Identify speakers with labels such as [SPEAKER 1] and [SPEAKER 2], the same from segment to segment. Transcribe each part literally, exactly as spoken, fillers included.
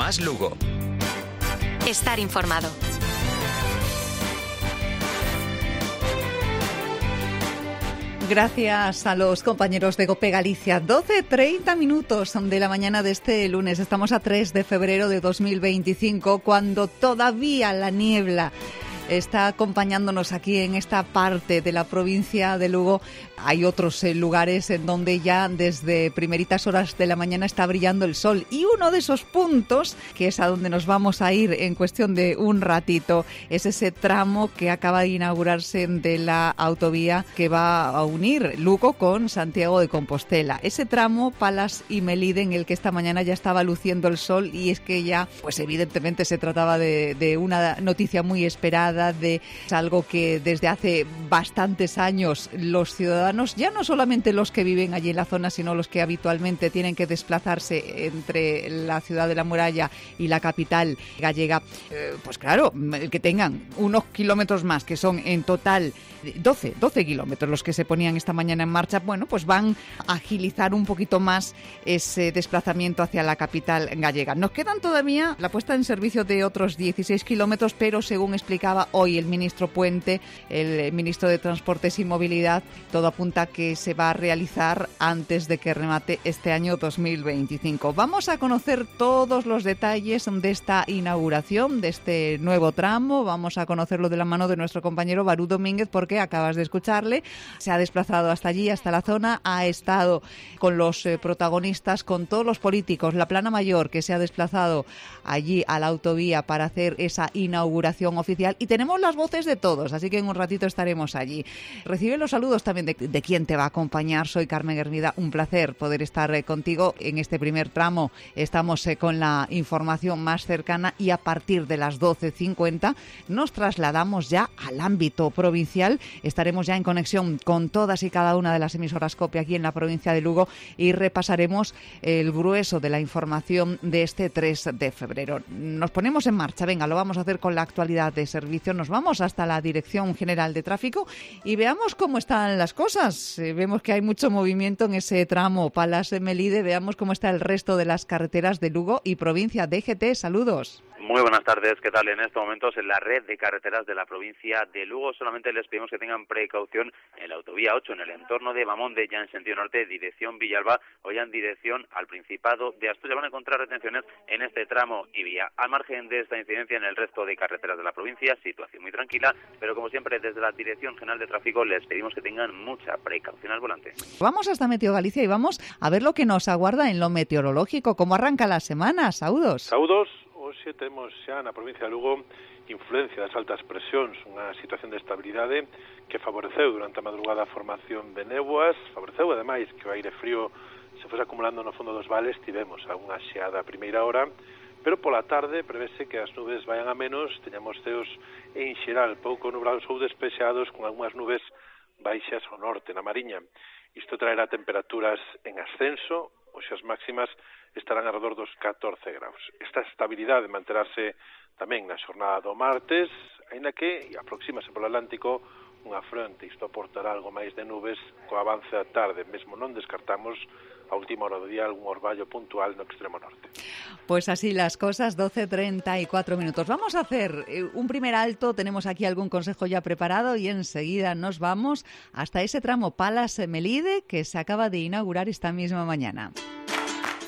[SPEAKER 1] Más Lugo.
[SPEAKER 2] Estar informado.
[SPEAKER 3] Gracias a los compañeros de COPE Galicia. doce treinta minutos de la mañana de este lunes. Estamos a tres de febrero de dos mil veinticinco, cuando todavía la niebla está acompañándonos aquí en esta parte de la provincia de Lugo. Hay otros eh, lugares en donde ya desde primeritas horas de la mañana está brillando el sol. Y uno de esos puntos, que es a donde nos vamos a ir en cuestión de un ratito, es ese tramo que acaba de inaugurarse de la autovía que va a unir Lugo con Santiago de Compostela. Ese tramo Palas y Melide, en el que esta mañana ya estaba luciendo el sol, y es que ya, pues evidentemente se trataba de, de una noticia muy esperada, de algo que desde hace bastantes años los ciudadanos, ya no solamente los que viven allí en la zona, sino los que habitualmente tienen que desplazarse entre la ciudad de la muralla y la capital gallega, eh, pues claro, el que tengan unos kilómetros más, que son en total doce, doce kilómetros los que se ponían esta mañana en marcha, bueno, pues van a agilizar un poquito más ese desplazamiento hacia la capital gallega. Nos quedan todavía la puesta en servicio de otros dieciséis kilómetros, pero según explicaba hoy el ministro Puente, el ministro de Transportes y Movilidad, todo apunta que se va a realizar antes de que remate este año dos mil veinticinco. Vamos a conocer todos los detalles de esta inauguración, de este nuevo tramo. Vamos a conocerlo de la mano de nuestro compañero Barú Domínguez, porque acabas de escucharle. Se ha desplazado hasta allí, hasta la zona, ha estado con los eh, protagonistas, con todos los políticos, la plana mayor que se ha desplazado allí a la autovía para hacer esa inauguración oficial, y tenemos las voces de todos, así que en un ratito estaremos allí. Recibe los saludos también de, de quien te va a acompañar. Soy Carmen Hermida, un placer poder estar eh, contigo en este primer tramo. Estamos eh, con la información más cercana, y a partir de las doce cincuenta nos trasladamos ya al ámbito provincial. Estaremos ya en conexión con todas y cada una de las emisoras COPE aquí en la provincia de Lugo, y repasaremos el grueso de la información de este tres de febrero. Nos ponemos en marcha. Venga, lo vamos a hacer con la actualidad de servicio. Nos vamos hasta la Dirección General de Tráfico y veamos cómo están las cosas. Eh, vemos que hay mucho movimiento en ese tramo Palas de Melide. Veamos cómo está el resto de las carreteras de Lugo y provincia. D G T, saludos.
[SPEAKER 4] Muy buenas tardes, ¿qué tal? En estos momentos en la red de carreteras de la provincia de Lugo solamente les pedimos que tengan precaución en la autovía ocho, en el entorno de Mamonde, ya en sentido norte, dirección Villalba, o ya en dirección al Principado de Asturias. Van a encontrar retenciones en este tramo y vía. Al margen de esta incidencia, en el resto de carreteras de la provincia, situación muy tranquila, pero como siempre desde la Dirección General de Tráfico les pedimos que tengan mucha precaución al volante.
[SPEAKER 3] Vamos hasta Meteo Galicia y vamos a ver lo que nos aguarda en lo meteorológico. ¿Cómo arranca la semana? Saúdos.
[SPEAKER 5] Saúdos. Hoxe temos xa na provincia de Lugo influencia das altas presións, unha situación de estabilidade que favoreceu durante a madrugada a formación de néboas, favoreceu ademais que o aire frío se fose acumulando no fondo dos vales. Tivemos algunha xeada a primeira hora, pero pola tarde prevese que as nubes vayan a menos, teñamos ceos en xeral pouco nublados ou despexados, con algunhas nubes baixas ao norte, na Mariña. Isto traerá temperaturas en ascenso, hoxe as máximas estarán alrededor dos catorce graus. Esta estabilidade manterase tamén na xornada do martes, aínda que aproxímase polo Atlántico unha fronte. Isto aportará algo máis de nubes co avance da tarde. Mesmo non descartamos a última hora do día algún orballo puntual no extremo norte.
[SPEAKER 3] Pues así las cosas, doce treinta y cuatro minutos. Vamos a hacer un primer alto, tenemos aquí algún consejo ya preparado y enseguida nos vamos hasta ese tramo Palas Melide que se acaba de inaugurar esta misma mañana.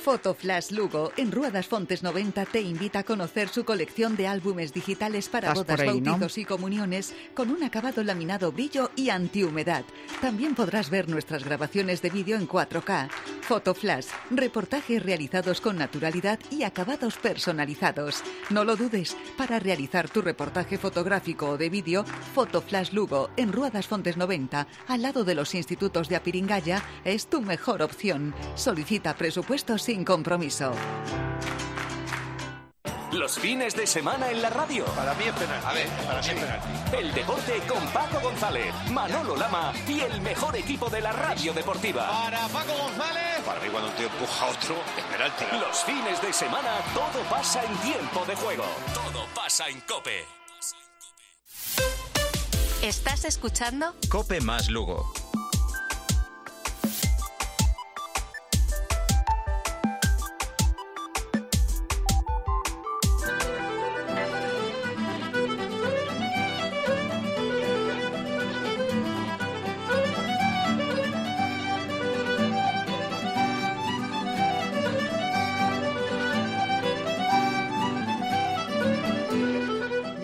[SPEAKER 3] Fotoflash Lugo, en Rúa das Fontes noventa, te invita a conocer su colección de álbumes digitales para bodas, ahí, bautizos, ¿no?, y comuniones, con un acabado laminado brillo y antihumedad. También podrás ver nuestras grabaciones de vídeo en cuatro K. Fotoflash, reportajes realizados con naturalidad y acabados personalizados. No lo dudes, para realizar tu reportaje fotográfico o de vídeo, Fotoflash Lugo, en Rúa das Fontes noventa, al lado de los institutos de Apiringaya, es tu mejor opción. Solicita presupuestos sin compromiso.
[SPEAKER 1] Los fines de semana en la radio.
[SPEAKER 6] Para mí es penalti. A ver, para mí es penalti.
[SPEAKER 1] El deporte con Paco González, Manolo Lama y el mejor equipo de la radio deportiva.
[SPEAKER 6] Para Paco González. Para mí cuando un tío empuja a otro es penalti.
[SPEAKER 1] Los fines de semana todo pasa en tiempo de juego. Todo pasa en COPE.
[SPEAKER 2] ¿Estás escuchando?
[SPEAKER 1] COPE más Lugo.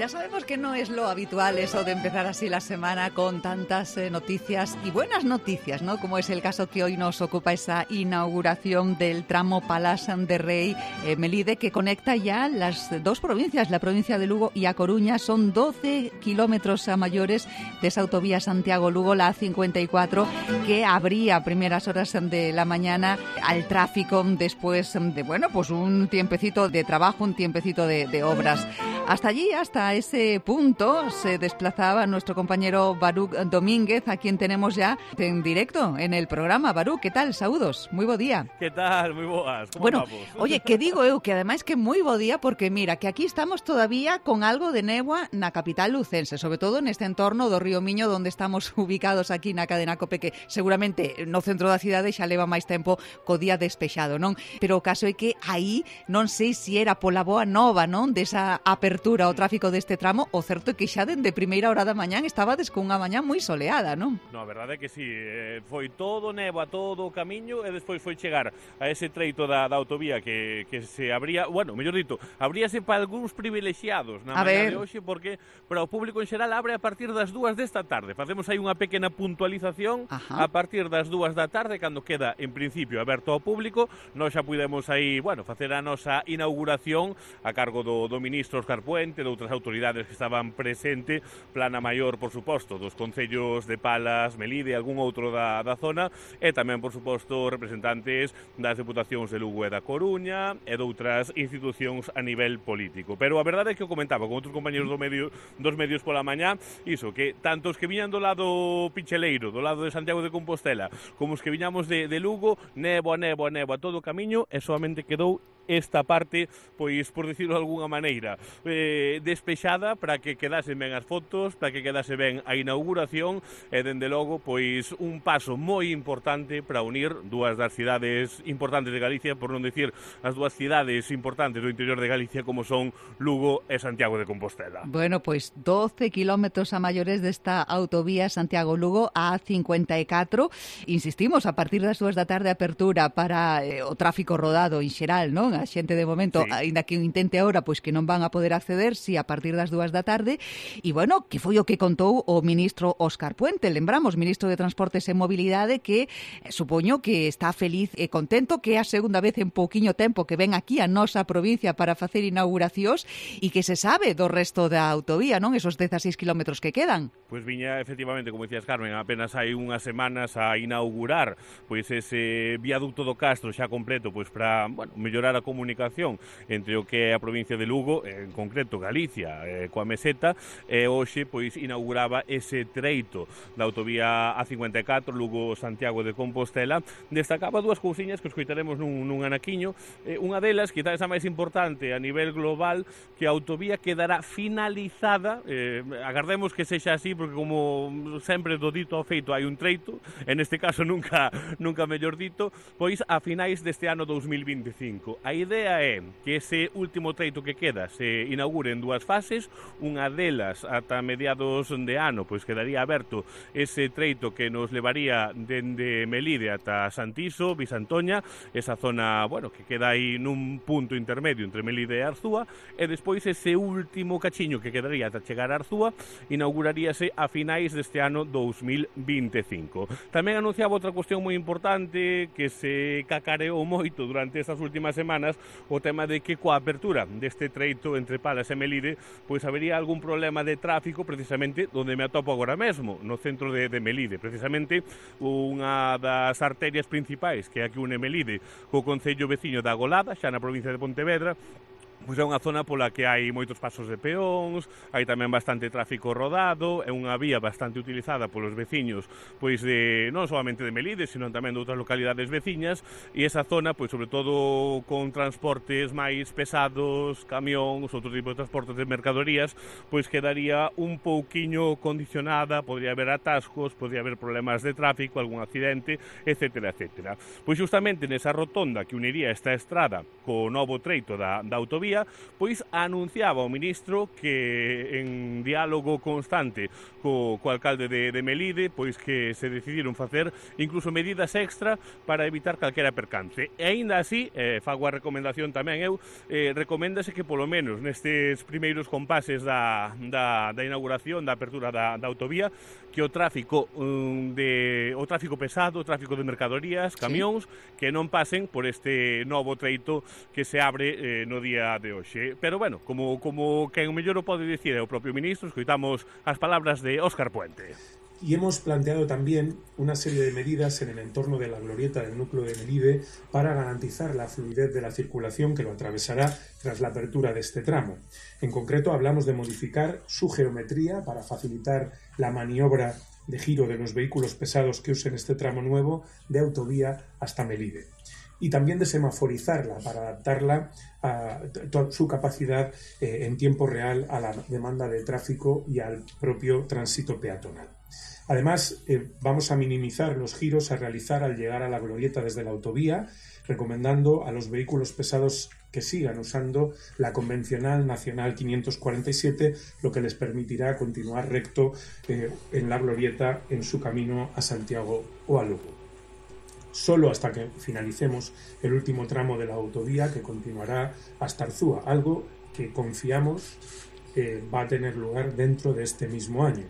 [SPEAKER 3] Ya sabemos que no es lo habitual eso de empezar así la semana con tantas eh, noticias y buenas noticias, ¿no? Como es el caso que hoy nos ocupa esa inauguración del tramo Palas de Rei eh, Melide, que conecta ya las dos provincias, la provincia de Lugo y A Coruña. Son doce kilómetros a mayores de esa autovía Santiago-Lugo, la A cincuenta y cuatro, que abría a primeras horas de la mañana al tráfico después de, bueno, pues un tiempecito de trabajo, un tiempecito de, de obras. Hasta allí, hasta ese punto, se desplazaba nuestro compañero Baruch Domínguez, a quien tenemos ya en directo en el programa. Baruch, ¿qué tal? Saúdos, moi bo día.
[SPEAKER 7] ¿Qué tal? Moi boas. ¿Cómo
[SPEAKER 3] bueno,
[SPEAKER 7] vamos?
[SPEAKER 3] Oye, que digo eu, que ademais que moi bo día, porque mira, que aquí estamos todavía con algo de néboa na capital lucense, sobre todo neste entorno do Río Miño, donde estamos ubicados aquí na cadena COPE, que seguramente no centro da cidade xa leva máis tempo co día despexado, non? Pero o caso é que aí non sei se era pola boa nova, non? Desa apertura ao tráfico deste tramo, o certo é que xa dende primeira hora da mañán estabades con unha mañán moi soleada, non?
[SPEAKER 7] No, a verdade é que sí, eh, foi todo néboa, todo o camiño, e despois foi chegar a ese treito da, da autovía que, que se abría, bueno, mellor dito, abríase para algúns privilexiados na mañá de hoxe, porque para o público en xeral abre a partir das dúas desta tarde. Facemos aí unha pequena puntualización. Ajá. A partir das dúas da tarde, cando queda en principio aberto ao público, nós xa pudemos aí, bueno, facer a nosa inauguración a cargo do, do ministro Óscar Puente, de outras autoridades que estaban presente, plana maior, por suposto, dos concellos de Palas, Melide e algún outro da, da zona, e tamén, por suposto, representantes das deputacións de Lugo e da Coruña e de outras institucións a nivel político. Pero a verdade é que o comentaba con outros compañeros do medio, dos medios pola mañá, iso, que tanto os que viñan do lado picheleiro, do lado de Santiago de Compostela, como os que viñamos de, de Lugo, néboa, néboa, néboa, todo o camiño, e solamente quedou esta parte, pois, por dicirlo de alguna maneira, eh, despexada para que quedasen ben as fotos, para que quedase ben a inauguración e, dende logo, pois, un paso moi importante para unir dúas das cidades importantes de Galicia, por non dicir as dúas cidades importantes do interior de Galicia como son Lugo e Santiago de Compostela.
[SPEAKER 3] Bueno, pois doce kilómetros a maiores desta autovía Santiago-Lugo a cincuenta e catro. Insistimos, a partir das dúas da tarde apertura para eh, o tráfico rodado en xeral, non? A xente de momento, sí, aínda que o intente ahora, pois que non van a poder acceder, si a partir das dúas da tarde. E, bueno, que foi o que contou o ministro Óscar Puente, lembramos, ministro de Transportes e Mobilidade, que eh, supoño que está feliz e contento, que é a segunda vez en pouquiño tempo que ven aquí a nosa provincia para facer inauguracións e que se sabe do resto da autovía, non? Esos dezaseis kilómetros que quedan.
[SPEAKER 7] Pois viña, efectivamente, como dicías, Carmen, apenas hai unhas semanas a inaugurar pois ese viaducto do Castro xa completo, pois para, bueno, mellorar a comunicación entre o que é a provincia de Lugo, en concreto Galicia, eh, coa meseta, e hoxe pois inauguraba ese treito da autovía A cincuenta e catro, Lugo-Santiago de Compostela. Destacaba dúas cousiñas que escoitaremos nun, nun anaquiño. Eh, unha delas, quizás a máis importante a nivel global, que a autovía quedará finalizada, eh, agardemos que sexa así, porque como sempre do dito ao feito hai un treito, en este caso nunca, nunca mellor dito, pois a finais deste ano dous mil veinticinco. A idea é que ese último treito que queda se inaugure en dúas fases, unha delas ata mediados de ano, pois quedaría aberto ese treito que nos levaría dende Melide ata Santiso, Bisantoña, esa zona, bueno, que queda aí nun punto intermedio entre Melide e Arzúa, e despois ese último cachiño que quedaría ata chegar a Arzúa inauguraríase a finais deste ano dous mil veinticinco. Tamén anunciaba outra cuestión moi importante que se cacareou moito durante estas últimas semanas, o tema de que coa apertura deste treito entre Palas e Melide, pois habería algún problema de tráfico precisamente onde me atopo agora mesmo, no centro de, de Melide, precisamente unha das arterias principais que é a que une Melide co concello veciño da Golada, xa na provincia de Pontevedra. Pois é unha zona pola que hai moitos pasos de peóns, hai tamén bastante tráfico rodado, é unha vía bastante utilizada polos veciños, pois de non solamente de Melide, sino tamén de outras localidades veciñas, e esa zona, pois sobre todo con transportes máis pesados, camións, outro tipo de transportes de mercadorías, pois quedaría un pouquiño condicionada, podría haber atascos, podría haber problemas de tráfico, algún accidente, etcétera, etcétera. Pois justamente nesa rotonda que uniría esta estrada co novo treito da, da autovía, autovía, pois anunciaba o ministro que en diálogo constante co, co alcalde de, de Melide, pois que se decidiron facer incluso medidas extra para evitar calquera percance. E aínda así, eh, fago a recomendación tamén eu, eh, recoméndase que polo menos nestes primeiros compases da, da, da inauguración, da apertura da, da autovía, que o tráfico um, de o tráfico pesado, o tráfico de mercadorías, camións, sí, que non pasen por este novo treito que se abre eh, no día de hoxe. Pero bueno, como como quen mellor o pode dicir é o propio ministro, escoitamos as palabras de Óscar Puente.
[SPEAKER 8] Y hemos planteado también una serie de medidas en el entorno de la glorieta del núcleo de Melide para garantizar la fluidez de la circulación que lo atravesará tras la apertura de este tramo. En concreto, hablamos de modificar su geometría para facilitar la maniobra de giro de los vehículos pesados que usen este tramo nuevo de autovía hasta Melide. Y también de semaforizarla para adaptarla a su capacidad eh, en tiempo real a la demanda de tráfico y al propio tránsito peatonal. Además, eh, vamos a minimizar los giros a realizar al llegar a la glorieta desde la autovía, recomendando a los vehículos pesados que sigan usando la convencional nacional quinientos cuarenta y siete, lo que les permitirá continuar recto eh, en la glorieta en su camino a Santiago o a Lugo. Solo hasta que finalicemos el último tramo de la autovía, que continuará hasta Arzúa, algo que confiamos eh, va a tener lugar dentro de este mismo año.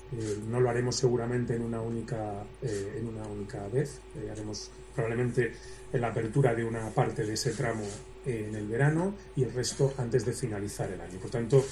[SPEAKER 8] Eh, no lo haremos seguramente en una única, eh, en una única vez, eh, haremos probablemente la apertura de una parte de ese tramo eh, en el verano y el resto antes de finalizar el año. Por tanto,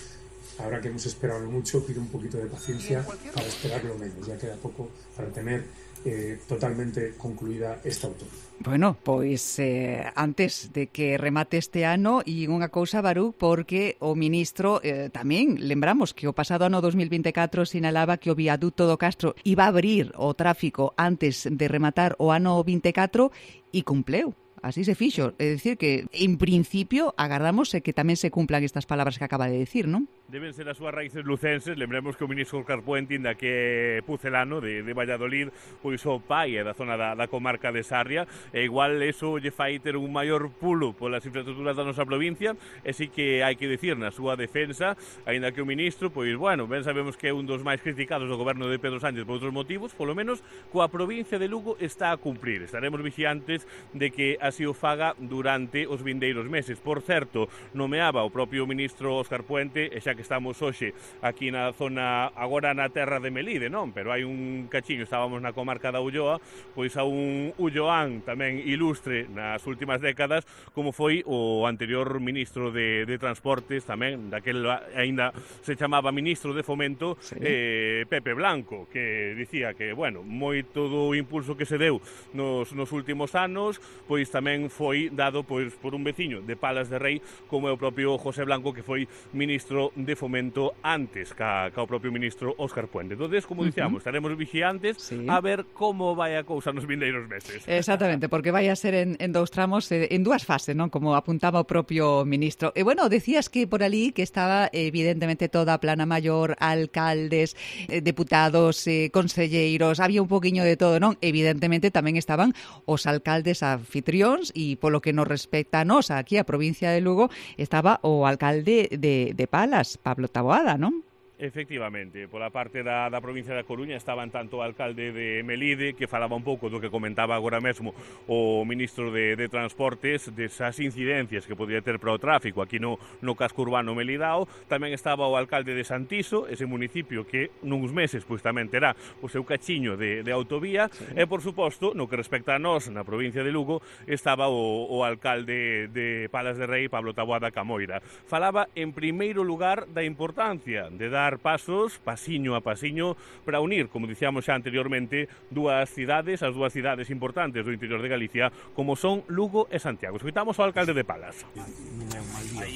[SPEAKER 8] ahora que hemos esperado mucho, pido un poquito de paciencia para esperarlo menos, ya queda poco para tener eh, totalmente concluída esta autovía.
[SPEAKER 3] Bueno, pois eh, antes de que remate este ano, e unha cousa, Baruch, porque o ministro eh, tamén, lembramos que o pasado ano dos mil vinte e catro sinalaba que o viaduto do Castro iba a abrir o tráfico antes de rematar o ano vinte e catro e cumpleu. Así se fixo. É dicir que, en principio, agardamos que tamén se cumplan estas palabras que acaba de decir, non?
[SPEAKER 7] Deben ser as súas raíces lucenses. Lembremos que o ministro Óscar Puente, inda que é pucelano de, de Valladolid, pois o pai é da zona da, da comarca de Sarria, e igual eso lle fai ter un maior pulo polas infraestructuras da nosa provincia, e sí que hai que dicir na súa defensa, aínda que o ministro, pois, bueno, ben sabemos que é un dos máis criticados do goberno de Pedro Sánchez por outros motivos, polo menos coa provincia de Lugo está a cumprir. Estaremos vixiantes de que así o faga durante os vindeiros meses. Por certo, nomeaba o propio ministro Óscar Puente, e xa que estamos hoxe aquí na zona, agora na terra de Melide, non? Pero hai un cachiño, estábamos na comarca da Ulloa, pois a un ulloán tamén ilustre nas últimas décadas, como foi o anterior ministro de, de Transportes, tamén, daquel aínda se chamaba ministro de Fomento, sí, eh, Pepe Blanco, que dicía que, bueno, moito do impulso que se deu nos, nos últimos anos, pois tamén foi dado pois por un veciño de Palas de Rei, como é o propio José Blanco, que foi ministro de Fomento antes ca, ca o propio ministro Óscar Puente. Entonces, como dicíamos, uh -huh. estaremos vigiantes, sí, a ver como vai a cousa nos vindeiros meses.
[SPEAKER 3] Exactamente, porque vai a ser en, en dous tramos, en dúas fases, non? Como apuntaba o propio ministro. E bueno, decías que por ali que estaba evidentemente toda a plana maior, alcaldes, eh, deputados, eh, conselleiros, había un poquinho de todo, non? Evidentemente tamén estaban os alcaldes anfitrións, e polo que nos respecta a nos, aquí a provincia de Lugo, estaba o alcalde de, de Palas, Pablo Taboada, non?
[SPEAKER 7] Efectivamente, pola parte da, da provincia da Coruña estaban tanto o alcalde de Melide, que falaba un pouco do que comentaba agora mesmo o ministro de, de Transportes, desas incidencias que podría ter para o tráfico aquí no, no casco urbano melidao. Tamén estaba o alcalde de Santiso, ese municipio que nuns meses pois tamén terá o seu cachiño de, de autovía, sí, e por suposto, no que respecta a nós na provincia de Lugo, estaba o, o alcalde de Palas de Rei, Pablo Taboada Camoira. Falaba en primeiro lugar da importancia de dar pasos, pasiño a pasiño, para unir, como dicíamos xa anteriormente, dúas cidades, as dúas cidades importantes do interior de Galicia, como son Lugo e Santiago. Escoitamos ao alcalde de Palas.
[SPEAKER 9] Non é un mal día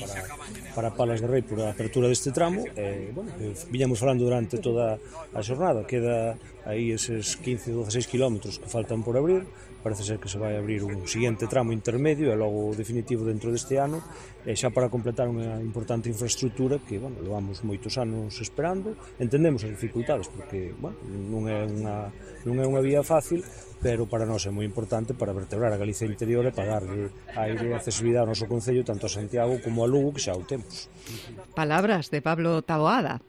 [SPEAKER 9] para, para Palas de Rei por a apertura deste tramo. Eh, bueno, viñamos falando durante toda a xornada, queda aí eses quince, doce kilómetros que faltan por abrir. Parece ser que se vai abrir un siguiente tramo intermedio e logo definitivo dentro deste ano, e xa para completar unha importante infraestructura que, bueno, levamos moitos anos esperando. Entendemos as dificultades porque, bueno, non é unha, non é unha vía fácil, pero para nós é moi importante para vertebrar a Galicia interior e para darle aire e accesibilidade ao noso concello, tanto a Santiago como a Lugo, que xa o temos.
[SPEAKER 3] Palabras de Pablo Taboada.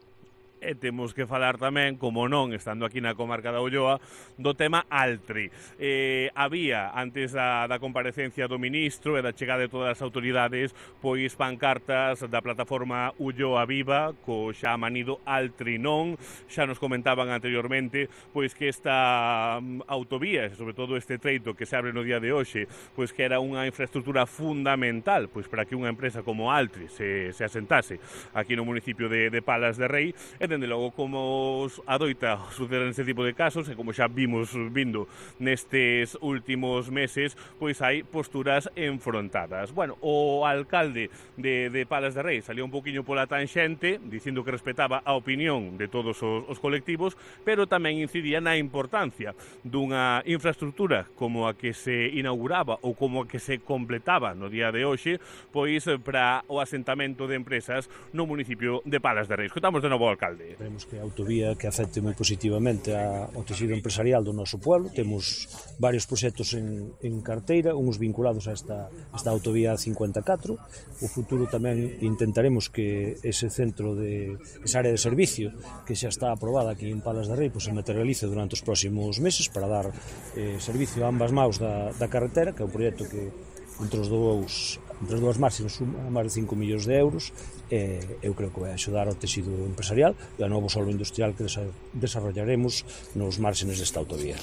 [SPEAKER 7] E temos que falar tamén, como non, estando aquí na comarca da Ulloa, do tema Altri. Eh, había, antes da, da comparecencia do ministro e da chegada de todas as autoridades, pois pancartas da plataforma Ulloa Viva, co xa manido Altri non. Xa nos comentaban anteriormente, pois que esta um, autovía, e sobre todo este treito que se abre no día de hoxe, pois que era unha infraestructura fundamental, pois para que unha empresa como Altri se, se asentase aquí no municipio de, de Palas de Rei, e dende logo como adoita suceder neste tipo de casos, e como xa vimos vindo nestes últimos meses, pois hai posturas enfrontadas. Bueno, o alcalde de, de Palas de Rei salió un poquinho pola tanxente, dicindo que respetaba a opinión de todos os, os colectivos, pero tamén incidía na importancia dunha infraestructura como a que se inauguraba ou como a que se completaba no día de hoxe, pois para o asentamento de empresas no municipio de Palas de Rei. Escutamos de novo ao alcalde.
[SPEAKER 9] Esperemos que a autovía que afecte moi positivamente ao tecido empresarial do noso pueblo. Temos varios proxectos en, en carteira, uns vinculados a esta, esta autovía cincuenta e catro. O futuro tamén intentaremos que ese centro de esa área de servicio que xa está aprobada aquí en Palas de Rei, pues, se materialice durante os próximos meses para dar eh, servicio a ambas maus da, da carretera, que é un proxecto que entre os dous entre as dúas marxes suma máis de cinco millóns de euros. Eh, eu creo que vai axudar ao tecido empresarial e ao novo solo industrial que desarrollaremos nos márgenes desta autovía.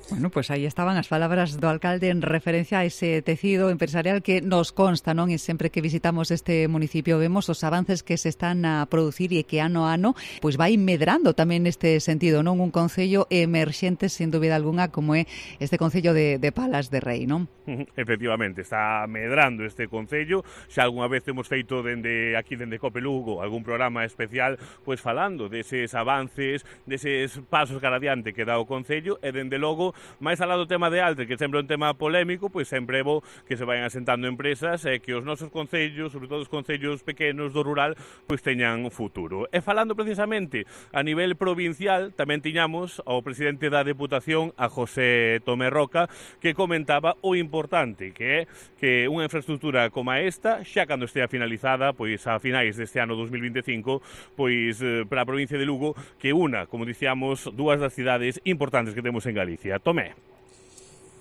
[SPEAKER 3] Bueno, pues aí estaban as palabras do alcalde en referencia a ese tecido empresarial que nos consta, non? E sempre que visitamos este municipio vemos os avances que se están a producir e que ano a ano pois vai medrando tamén neste sentido, non? Un concello emerxente, sen dúbida alguna, como é este concello de, de Palas de Rei, non?
[SPEAKER 7] Efectivamente, está medrando este concello. Xa algunha vez hemos feito dende aquí, dende Cope Lugo, algún programa especial pois falando deses avances, deses pasos cara adiante que dá o concello, e dende logo, máis alá do tema de Altri, que sempre é un tema polémico, pois sempre é bo que se vayan asentando empresas e que os nosos concellos, sobre todo os concellos pequenos do rural, pois teñan futuro. E falando precisamente a nivel provincial, tamén tiñamos ao presidente da Deputación, a José Tomé Roca, que comentaba o importante que é que unha infraestructura como esta, xa cando estea finalizada, pois a finais deste ano dos mil vinte e cinco, pois eh, para a provincia de Lugo, que una, como dicíamos, dúas das cidades importantes que temos en Galicia. Tomé.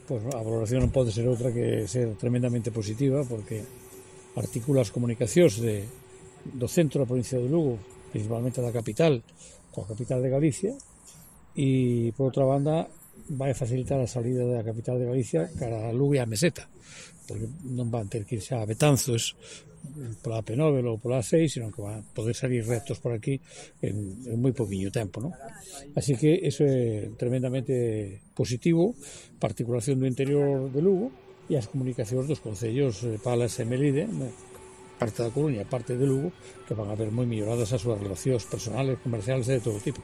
[SPEAKER 10] Pois a valoración non pode ser outra que ser tremendamente positiva, porque articula as comunicacións de, do centro da provincia de Lugo, principalmente da capital, coa capital de Galicia, e, por outra banda, vai facilitar a salida da capital de Galicia cara a Lugo e a Meseta, porque non van ter que ir xa a Betanzos pola A P nove ou pola A seis, sino que van poder salir rectos por aquí en, en moi poquinho tempo, non? Así que eso é tremendamente positivo para a articulación do interior de Lugo e as comunicacións dos concellos Palas e Melide, parte da Coruña, parte de Lugo, que van a ver moi melloradas as súas relacións personales, comerciales e de todo tipo.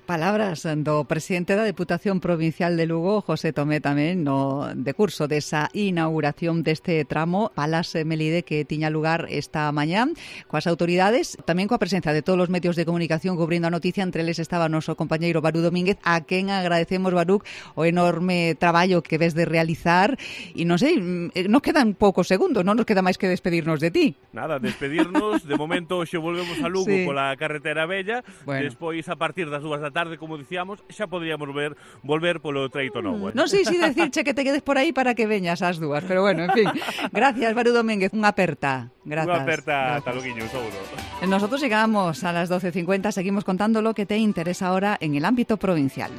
[SPEAKER 3] Palabras do presidente da Deputación Provincial de Lugo, José Tomé, tamén no decurso desa inauguración deste tramo Palas Melide que tiña lugar esta mañá coas autoridades, tamén coa presencia de todos os medios de comunicación cubrindo a noticia. Entre eles estaba o noso compañeiro Barú Domínguez, a quen agradecemos, Barú, o enorme traballo que ves de realizar, e non sei, nos quedan poucos segundos, non nos queda máis que despedirnos de ti.
[SPEAKER 7] Nada, despedirnos, de momento xe volvemos a Lugo, sí, pola carretera bella, bueno. Despois a partir das dúas da tarde, como dicíamos, xa podríamos ver volver polo treito novo. Eh?
[SPEAKER 3] Non sei se decirche que te quedes por aí para que veñas as dúas, pero bueno, en fin. Gracias, Barú Domínguez, unha aperta. Grazas.
[SPEAKER 7] Unha aperta, ata loguiño, un saúdo.
[SPEAKER 3] Nosotros llegamos a las doce cincuenta, seguimos contando lo que te interesa ahora en el ámbito provincial.